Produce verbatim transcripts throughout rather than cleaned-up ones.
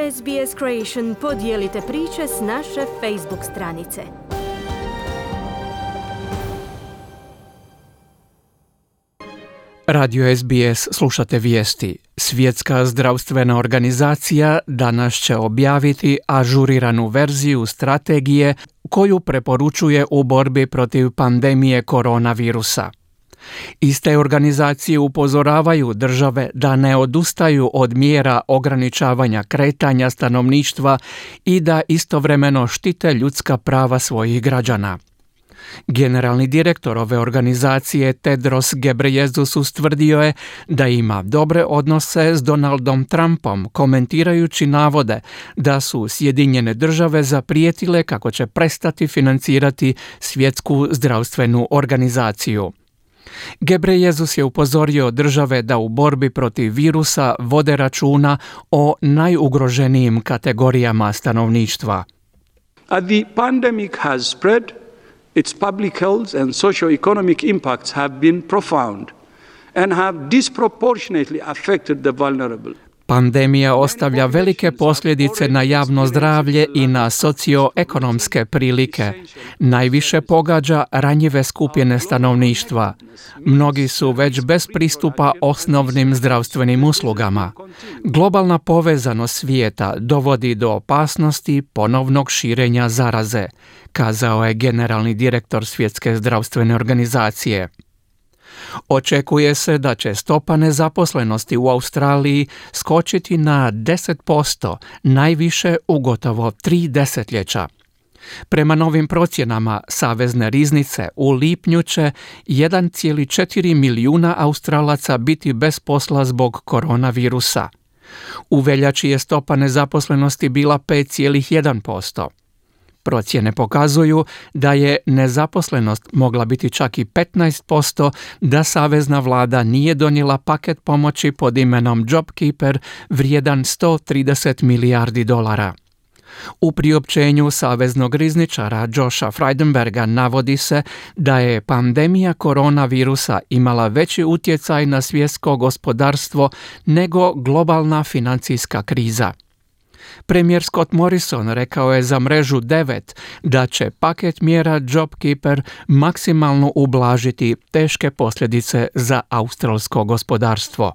S B S Creation podijelite priče s naše Facebook stranice. Radio S B S slušate vijesti. Svjetska zdravstvena organizacija danas će objaviti ažuriranu verziju strategije koju preporučuje u borbi protiv pandemije koronavirusa. Iste organizacije upozoravaju države da ne odustaju od mjera ograničavanja kretanja stanovništva i da istovremeno štite ljudska prava svojih građana. Generalni direktor ove organizacije Tedros Ghebreyesus ustvrdio je da ima dobre odnose s Donaldom Trumpom, komentirajući navode da su Sjedinjene države zaprijetile kako će prestati financirati Svjetsku zdravstvenu organizaciju. Ghebreyesus je upozorio države da u borbi protiv virusa vode računa o najugroženijim kategorijama stanovništva. As the pandemic has spread, its public health and socio-economic impacts have been profound and have disproportionately affected the vulnerable. Pandemija ostavlja velike posljedice na javno zdravlje i na socioekonomske prilike. Najviše pogađa ranjive skupine stanovništva. Mnogi su već bez pristupa osnovnim zdravstvenim uslugama. Globalna povezanost svijeta dovodi do opasnosti ponovnog širenja zaraze, kazao je generalni direktor Svjetske zdravstvene organizacije. Očekuje se da će stopa nezaposlenosti u Australiji skočiti na deset posto, najviše u gotovo tri desetljeća. Prema novim procjenama Savezne riznice, u lipnju će jedan zarez četiri milijuna Australaca biti bez posla zbog koronavirusa. U veljači je stopa nezaposlenosti bila pet zarez jedan posto. Procjene pokazuju da je nezaposlenost mogla biti čak i petnaest posto da savezna vlada nije donijela paket pomoći pod imenom JobKeeper vrijedan sto trideset milijardi dolara. U priopćenju saveznog rizničara Josha Frydenberga navodi se da je pandemija koronavirusa imala veći utjecaj na svjetsko gospodarstvo nego globalna financijska kriza. Premijer Scott Morrison rekao je za mrežu devet da će paket mjera JobKeeper maksimalno ublažiti teške posljedice za australsko gospodarstvo.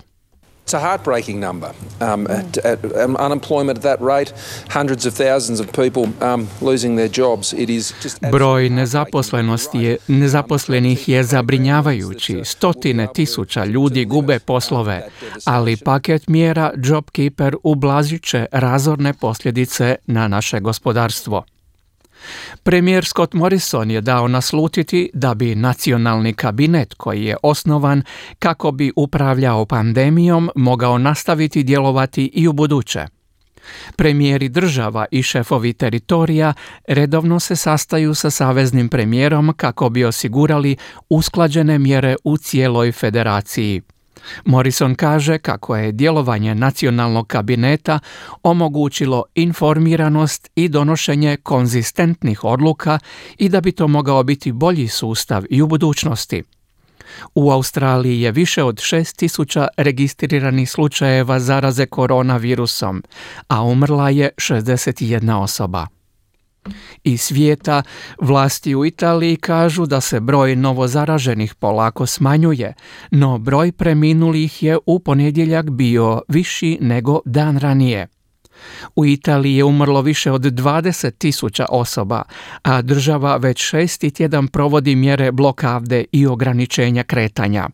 It's a heartbreaking number. Um, at, at, um, unemployment at that rate, hundreds of thousands of people um, losing their jobs. It is just Broj nezaposlenosti je, nezaposlenih je zabrinjavajući. Stotine tisuća ljudi gube poslove, ali paket mjera JobKeeper ublažit će razorne posljedice na naše gospodarstvo. Premijer Scott Morrison je dao naslutiti da bi nacionalni kabinet koji je osnovan kako bi upravljao pandemijom mogao nastaviti djelovati i u buduće. Premijeri država i šefovi teritorija redovno se sastaju sa saveznim premijerom kako bi osigurali usklađene mjere u cijeloj federaciji. Morrison kaže kako je djelovanje nacionalnog kabineta omogućilo informiranost i donošenje konzistentnih odluka i da bi to mogao biti bolji sustav i u budućnosti. U Australiji je više od šest tisuća registriranih slučajeva zaraze koronavirusom, a umrla je šezdeset jedna osoba. Iz svijeta, vlasti u Italiji kažu da se broj novozaraženih polako smanjuje, no broj preminulih je u ponedjeljak bio viši nego dan ranije. U Italiji je umrlo više od dvadeset tisuća osoba, a država već šesti tjedan provodi mjere blokade i ograničenja kretanja.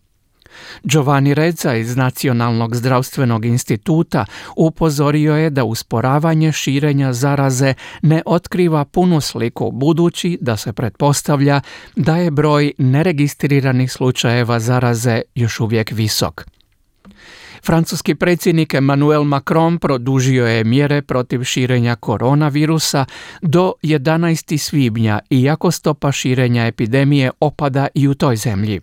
Giovanni Rezza iz Nacionalnog zdravstvenog instituta upozorio je da usporavanje širenja zaraze ne otkriva punu sliku, budući da se pretpostavlja da je broj neregistriranih slučajeva zaraze još uvijek visok. Francuski predsjednik Emmanuel Macron produžio je mjere protiv širenja koronavirusa do jedanaestog svibnja, iako stopa širenja epidemije opada i u toj zemlji.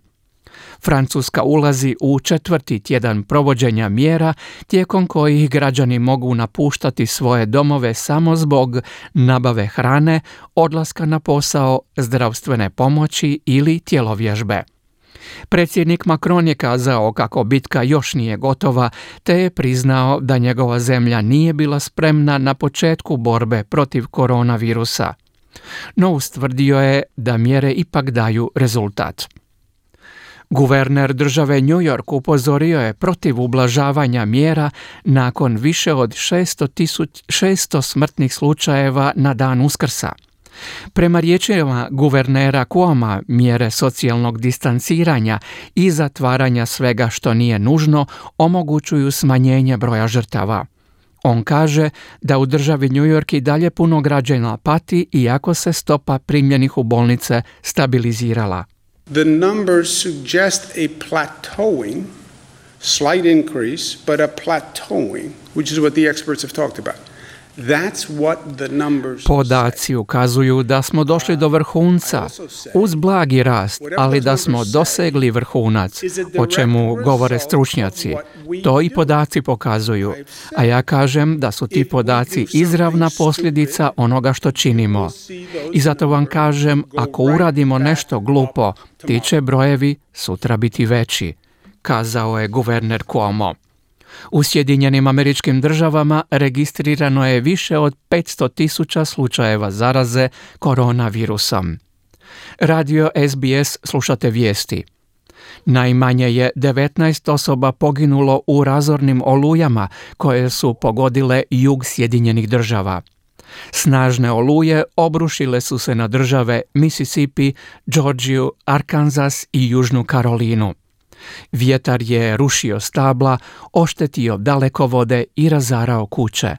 Francuska ulazi u četvrti tjedan provođenja mjera tijekom kojih građani mogu napuštati svoje domove samo zbog nabave hrane, odlaska na posao, zdravstvene pomoći ili tjelovježbe. Predsjednik Macron je kazao kako bitka još nije gotova, te je priznao da njegova zemlja nije bila spremna na početku borbe protiv koronavirusa. No ustvrdio je da mjere ipak daju rezultat. Guverner države New York upozorio je protiv ublažavanja mjera nakon više od šesto smrtnih slučajeva na dan Uskrsa. Prema riječima guvernera Cuoma, mjere socijalnog distanciranja i zatvaranja svega što nije nužno omogućuju smanjenje broja žrtava. On kaže da u državi New York i dalje puno građana pati iako se stopa primljenih u bolnice stabilizirala. The numbers suggest a plateauing, slight increase, but a plateauing, which is what the experts have talked about. That's what the numbers Podaci ukazuju da smo došli do vrhunca uz blagi rast, ali da smo dosegli vrhunac, o čemu govore stručnjaci. To i podaci pokazuju, a ja kažem da su ti podaci izravna posljedica onoga što činimo. I zato vam kažem, ako uradimo nešto glupo, ti će brojevi sutra biti veći, kazao je guverner Cuomo. U Sjedinjenim Američkim Državama registrirano je više od petsto tisuća slučajeva zaraze koronavirusom. Radio S B S slušate vijesti. Najmanje je devetnaest osoba poginulo u razornim olujama koje su pogodile jug Sjedinjenih Država. Snažne oluje obrušile su se na države Mississippi, Georgiju, Arkansas i Južnu Karolinu. Vjetar je rušio stabla, oštetio dalekovode i razarao kuće.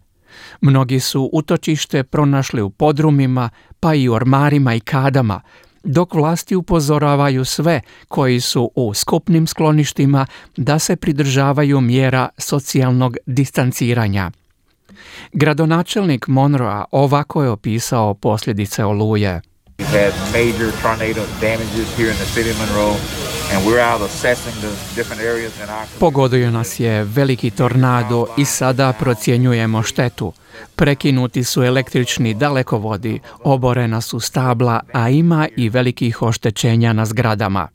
Mnogi su utočište pronašli u podrumima, pa i u ormarima i kadama, dok vlasti upozoravaju sve koji su u skupnim skloništima da se pridržavaju mjera socijalnog distanciranja. Gradonačelnik Monroea ovako je opisao posljedice oluje. We've had major tornado damages here in the city of Monroe. Pogodio nas je veliki tornado i sada procjenjujemo štetu. Prekinuti su električni dalekovodi, oborena su stabla, a ima i velikih oštećenja na zgradama.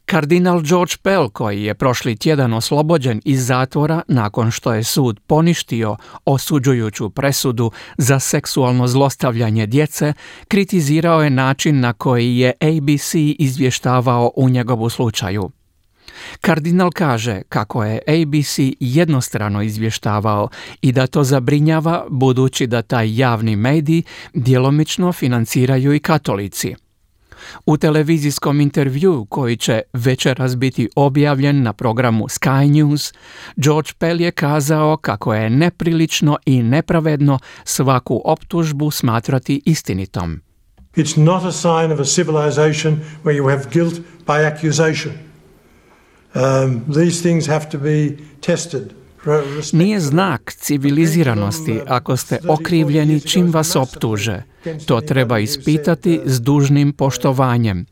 Kardinal George Pell, koji je prošli tjedan oslobođen iz zatvora nakon što je sud poništio osuđujuću presudu za seksualno zlostavljanje djece, kritizirao je način na koji je A B C izvještavao u njegovu slučaju. Kardinal kaže kako je A B C jednostrano izvještavao i da to zabrinjava budući da taj javni medij djelomično financiraju i katolici. U televizijskom intervjuu koji će večeras biti objavljen na programu Sky News, George Pell je kazao kako je neprilično i nepravedno svaku optužbu smatrati istinitom. It's not a sign of a civilization where you have guilt by accusation. Um, these things have to be tested. Nije znak civiliziranosti ako ste okrivljeni čim vas optuže. To treba ispitati s dužnim poštovanjem.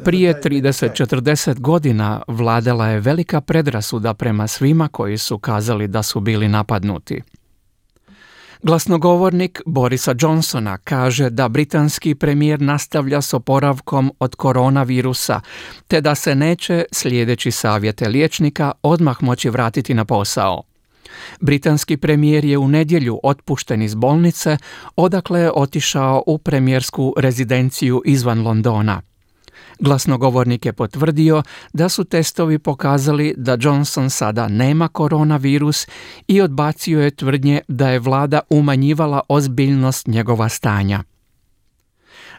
Prije trideset do četrdeset godina vladala je velika predrasuda prema svima koji su kazali da su bili napadnuti. Glasnogovornik Borisa Johnsona kaže da britanski premijer nastavlja s oporavkom od koronavirusa, te da se neće, slijedeći savjete liječnika, odmah moći vratiti na posao. Britanski premijer je u nedjelju otpušten iz bolnice, odakle je otišao u premijersku rezidenciju izvan Londona. Glasnogovornik je potvrdio da su testovi pokazali da Johnson sada nema koronavirus i odbacio je tvrdnje da je vlada umanjivala ozbiljnost njegova stanja.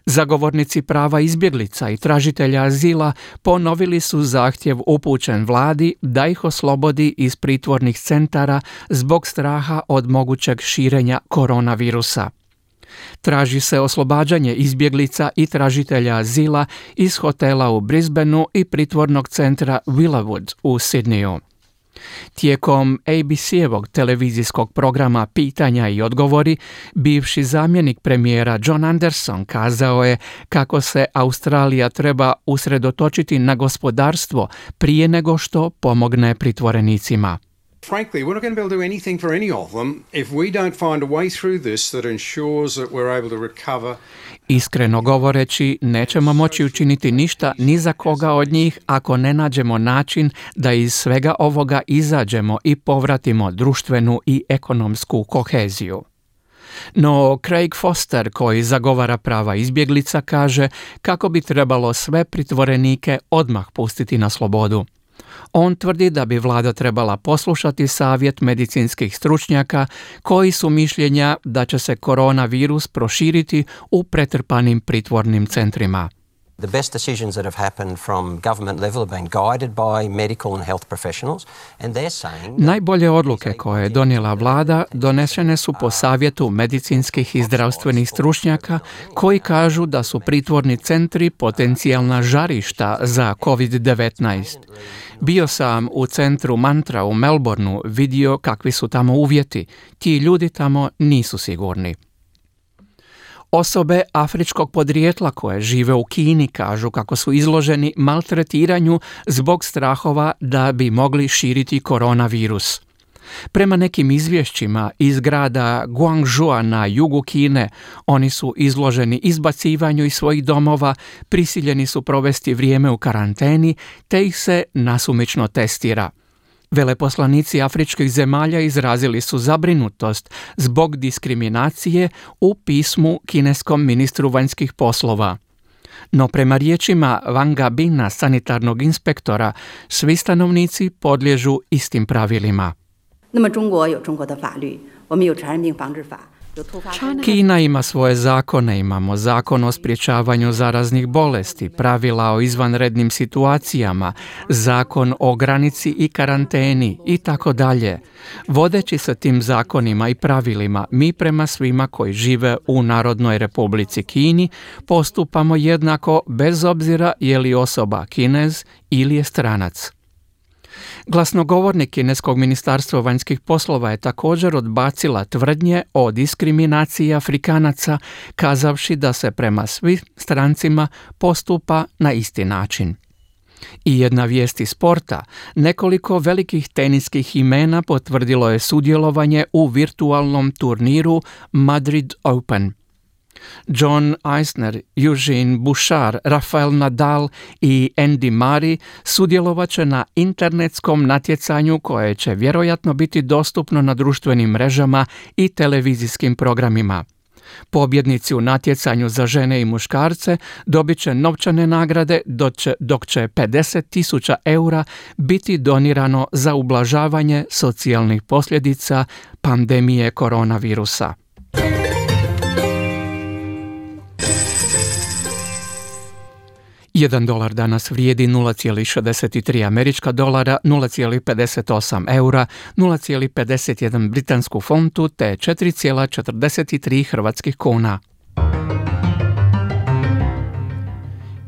Zagovornici prava izbjeglica i tražitelja azila ponovili su zahtjev upućen vladi da ih oslobodi iz pritvornih centara zbog straha od mogućeg širenja koronavirusa. Traži se oslobađanje izbjeglica i tražitelja azila iz hotela u Brisbaneu i pritvornog centra Villawood u Sidneyu. Tijekom A B C-evog televizijskog programa Pitanja i odgovori, bivši zamjenik premijera John Anderson kazao je kako se Australija treba usredotočiti na gospodarstvo prije nego što pomogne pritvorenicima. Frankly, we're not going to be able to do anything for any of them if we don't find a way through this that ensures that we're able to recover. Iskreno govoreći, nećemo moći učiniti ništa ni za koga od njih ako ne nađemo način da iz svega ovoga izađemo i povratimo društvenu i ekonomsku koheziju. No Craig Foster, koji zagovara prava izbjeglica, kaže kako bi trebalo sve pritvorenike odmah pustiti na slobodu. On tvrdi da bi vlada trebala poslušati savjet medicinskih stručnjaka koji su mišljenja da će se koronavirus proširiti u pretrpanim pritvornim centrima. The best decisions that have happened from government level have been guided by medical and health professionals, and they're saying... Najbolje odluke koje je donijela vlada donešene su po savjetu medicinskih i zdravstvenih stručnjaka koji kažu da su pritvorni centri potencijalna žarišta za kovid devetnaest. Bio sam u centru Mantra u Melbourneu, vidio kakvi su tamo uvjeti. Ti ljudi tamo nisu sigurni. Osobe afričkog podrijetla koje žive u Kini kažu kako su izloženi maltretiranju zbog strahova da bi mogli širiti koronavirus. Prema nekim izvješćima iz grada Guangzhou na jugu Kine, oni su izloženi izbacivanju iz svojih domova, prisiljeni su provesti vrijeme u karanteni, te ih se nasumično testira. Veleposlanici afričkih zemalja izrazili su zabrinutost zbog diskriminacije u pismu kineskom ministru vanjskih poslova. No prema riječima Wanga Bina, sanitarnog inspektora, svi stanovnici podliježu istim pravilima. Kina ima svoje zakone, imamo zakon o sprječavanju zaraznih bolesti, pravila o izvanrednim situacijama, zakon o granici i karanteni i tako dalje. Vodeći se tim zakonima i pravilima, mi prema svima koji žive u Narodnoj Republici Kini postupamo jednako bez obzira je li osoba Kinez ili je stranac. Glasnogovornik kineskog ministarstva vanjskih poslova je također odbacila tvrdnje o diskriminaciji Afrikanaca, kazavši da se prema svim strancima postupa na isti način. I jedna vijest iz sporta, nekoliko velikih teniskih imena potvrdilo je sudjelovanje u virtualnom turniru Madrid Open. John Isner, Eugene Bouchard, Rafael Nadal i Andy Murray sudjelovat će na internetskom natjecanju koje će vjerojatno biti dostupno na društvenim mrežama i televizijskim programima. Pobjednici u natjecanju za žene i muškarce dobit će novčane nagrade, dok će, dok će pedeset tisuća eura biti donirano za ublažavanje socijalnih posljedica pandemije koronavirusa. Jedan dolar danas vrijedi nula zarez šezdeset tri američka dolara, nula zarez pedeset osam eura, nula zarez pedeset jedan britansku funtu te četiri zarez četrdeset tri hrvatskih kuna.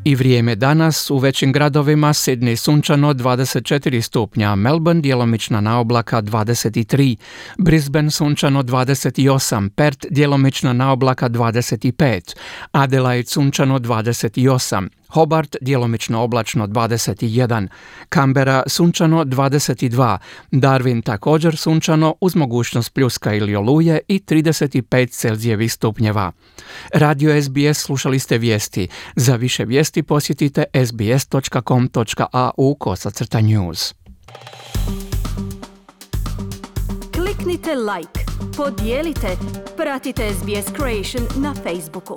I vrijeme danas u većim gradovima: Sydney sunčano dvadeset četiri stupnja, Melbourne djelomična naoblaka dvadeset tri, Brisbane sunčano dvadeset osam, Perth djelomična naoblaka dvadeset pet, Adelaide sunčano dvadeset osam, Hobart djelomično oblačno dvadeset jedan, Canberra sunčano dvadeset dva, Darwin također sunčano uz mogućnost pljuska ili oluje i trideset pet Celzijevih stupnjeva. Radio S B S slušali ste vijesti. Za više vijesti posjetite sbs dot com dot a u kosacrta news. Kliknite like, podijelite, pratite S B S Creation na Facebooku.